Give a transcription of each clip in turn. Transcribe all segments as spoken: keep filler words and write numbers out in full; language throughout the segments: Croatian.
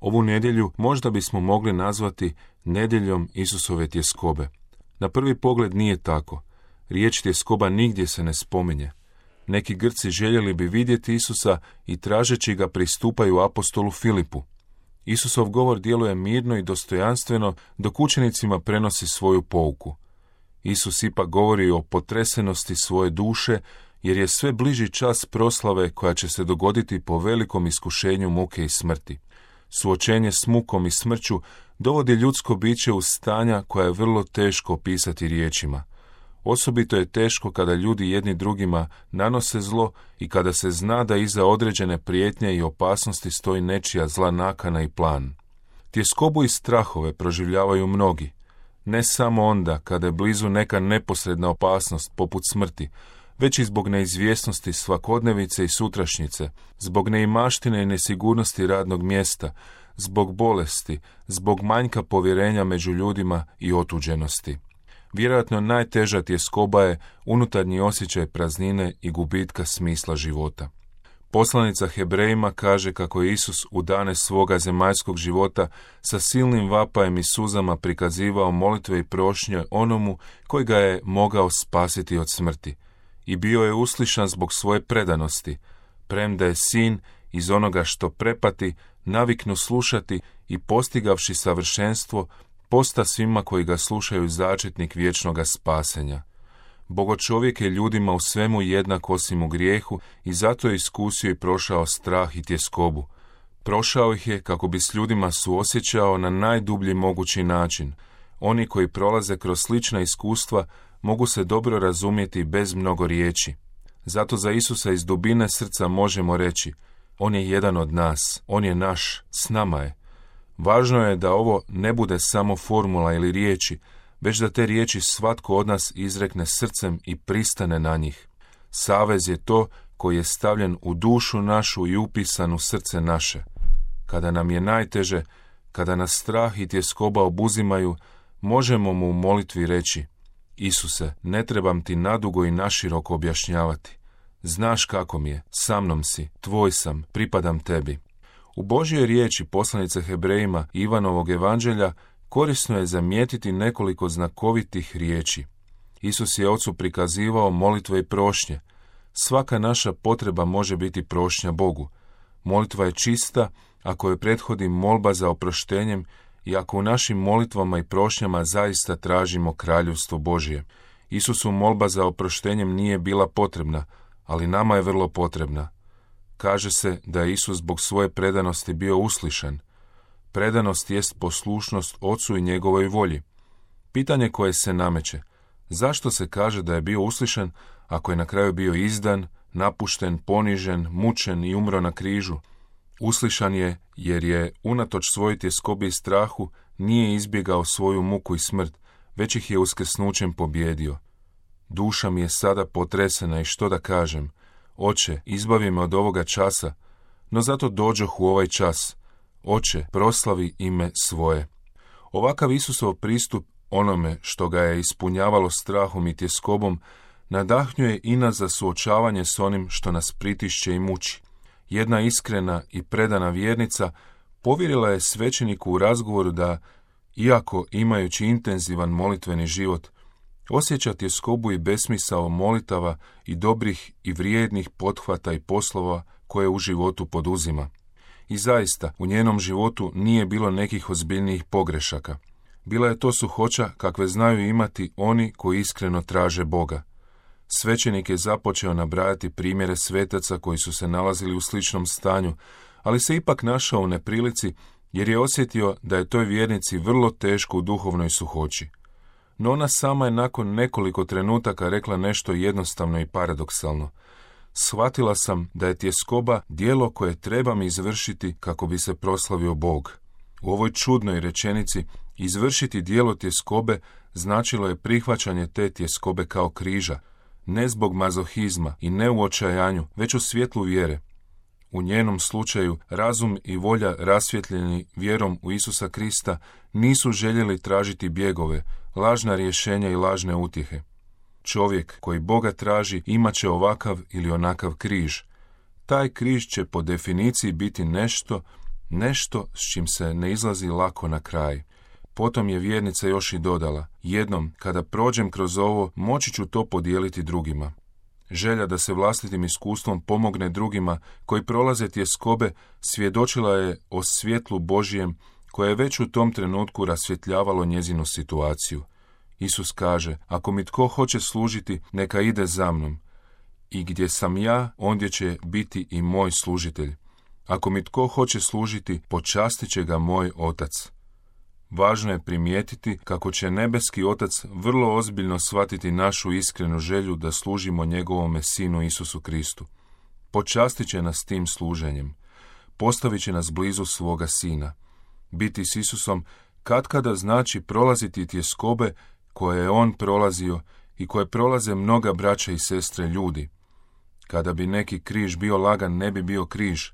Ovu nedjelju možda bismo mogli nazvati nedjeljom Isusove tjeskobe. Na prvi pogled nije tako. Riječ tjeskoba nigdje se ne spominje. Neki Grci željeli bi vidjeti Isusa i tražeći ga pristupaju apostolu Filipu. Isusov govor djeluje mirno i dostojanstveno dok učenicima prenosi svoju pouku. Isus ipak govori o potresenosti svoje duše jer je sve bliži čas proslave koja će se dogoditi po velikom iskušenju muke i smrti. Suočenje s mukom i smrću dovodi ljudsko biće u stanja koja je vrlo teško opisati riječima. Osobito je teško kada ljudi jedni drugima nanose zlo i kada se zna da iza određene prijetnje i opasnosti stoji nečija zla nakana i plan. Tjeskobu i strahove proživljavaju mnogi, ne samo onda kada je blizu neka neposredna opasnost poput smrti, već i zbog neizvjesnosti svakodnevice i sutrašnjice, zbog neimaštine i nesigurnosti radnog mjesta, zbog bolesti, zbog manjka povjerenja među ljudima i otuđenosti. Vjerojatno najteža tjeskoba je unutarnji osjećaj praznine i gubitka smisla života. Poslanica Hebrejima kaže kako je Isus u dane svoga zemaljskog života sa silnim vapajem i suzama prikazivao molitve i prošnje onomu koji ga je mogao spasiti od smrti. I bio je uslišan zbog svoje predanosti, premda je sin iz onoga što prepati naviknu slušati i postigavši savršenstvo, posta svima koji ga slušaju začetnik vječnoga spasenja. Bogočovjek je ljudima u svemu jednak osim u grijehu i zato je iskusio i prošao strah i tjeskobu. Prošao ih je kako bi s ljudima suosjećao na najdublji mogući način. Oni koji prolaze kroz slična iskustva mogu se dobro razumjeti bez mnogo riječi. Zato za Isusa iz dubine srca možemo reći, on je jedan od nas, on je naš, s nama je. Važno je da ovo ne bude samo formula ili riječi, već da te riječi svatko od nas izrekne srcem i pristane na njih. Savez je to koji je stavljen u dušu našu i upisan u srce naše. Kada nam je najteže, kada nas strah i tjeskoba obuzimaju, možemo mu u molitvi reći, Isuse, ne trebam ti nadugo i naširoko objašnjavati. Znaš kako mi je, sa mnom si, tvoj sam, pripadam tebi. U Božjoj riječi poslanice Hebrejima Ivanovog evanđelja korisno je zamijetiti nekoliko znakovitih riječi. Isus je Ocu prikazivao molitve i prošnje. Svaka naša potreba može biti prošnja Bogu. Molitva je čista ako je prethodi molba za oproštenjem i ako u našim molitvama i prošnjama zaista tražimo kraljevstvo Božje. Isusu molba za oproštenjem nije bila potrebna, ali nama je vrlo potrebna. Kaže se da je Isus zbog svoje predanosti bio uslišan. Predanost jest poslušnost Ocu i njegovoj volji. Pitanje koje se nameće, zašto se kaže da je bio uslišan ako je na kraju bio izdan, napušten, ponižen, mučen i umro na križu? Uslišan je jer je, unatoč svojoj tjeskobi i strahu, nije izbjegao svoju muku i smrt, već ih je uskrsnućem pobjedio. Duša mi je sada potresena i što da kažem, Oče, izbavi me od ovoga časa, no zato dođoh u ovaj čas. Oče, proslavi ime svoje. Ovakav Isusov pristup onome što ga je ispunjavalo strahom i tjeskobom, nadahnjuje i nas za suočavanje s onim što nas pritišće i muči. Jedna iskrena i predana vjernica povjerila je svećeniku u razgovoru da, iako imajući intenzivan molitveni život, osjeća tjeskobu i besmisao molitava i dobrih i vrijednih pothvata i poslova koje u životu poduzima. I zaista, u njenom životu nije bilo nekih ozbiljnijih pogrešaka. Bila je to suhoća kakve znaju imati oni koji iskreno traže Boga. Svećenik je započeo nabrajati primjere svetaca koji su se nalazili u sličnom stanju, ali se ipak našao u neprilici jer je osjetio da je toj vjernici vrlo teško u duhovnoj suhoći. No ona sama je nakon nekoliko trenutaka rekla nešto jednostavno i paradoksalno. Shvatila sam da je tjeskoba djelo koje trebam izvršiti kako bi se proslavio Bog. U ovoj čudnoj rečenici izvršiti djelo tjeskobe značilo je prihvaćanje te tjeskobe kao križa, ne zbog mazohizma i ne u očajanju, već u svjetlu vjere. U njenom slučaju razum i volja rasvjetljeni vjerom u Isusa Krista nisu željeli tražiti bjegove, lažna rješenja i lažne utjehe. Čovjek koji Boga traži imat će ovakav ili onakav križ. Taj križ će po definiciji biti nešto Nešto s čim se ne izlazi lako na kraj. Potom je vjernica još i dodala, jednom, kada prođem kroz ovo, moći ću to podijeliti drugima. Želja da se vlastitim iskustvom pomogne drugima koji prolaze tjeskobe svjedočila je o svjetlu Božijem koje je već u tom trenutku rasvjetljavalo njezinu situaciju. Isus kaže, ako mi tko hoće služiti, neka ide za mnom. I gdje sam ja, ondje će biti i moj služitelj. Ako mi tko hoće služiti, počastit će ga moj Otac. Važno je primijetiti kako će nebeski Otac vrlo ozbiljno shvatiti našu iskrenu želju da služimo njegovome Sinu Isusu Kristu. Počastit će nas tim služenjem. Postavit će nas blizu svoga Sina. Biti s Isusom katkada znači prolaziti tjeskobe koje je on prolazio i koje prolaze mnoga braća i sestre ljudi. Kada bi neki križ bio lagan, ne bi bio križ.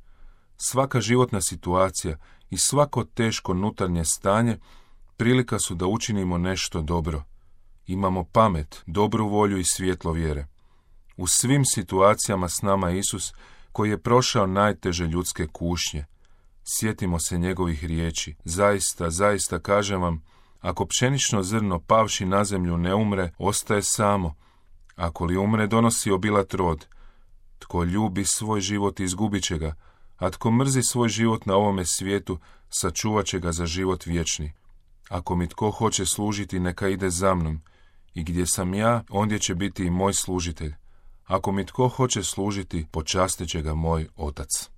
Svaka životna situacija i svako teško unutarnje stanje prilika su da učinimo nešto dobro. Imamo pamet, dobru volju i svjetlo vjere. U svim situacijama s nama Isus, koji je prošao najteže ljudske kušnje. Sjetimo se njegovih riječi. Zaista, zaista kažem vam, ako pšenično zrno pavši na zemlju ne umre, ostaje samo. Ako li umre, donosi obilat rod. Tko ljubi svoj život, izgubit će ga, a tko mrzi svoj život na ovome svijetu, sačuvat će ga za život vječni. Ako mi tko hoće služiti, neka ide za mnom. I gdje sam ja, ondje će biti i moj služitelj. Ako mi tko hoće služiti, počastit će ga moj Otac.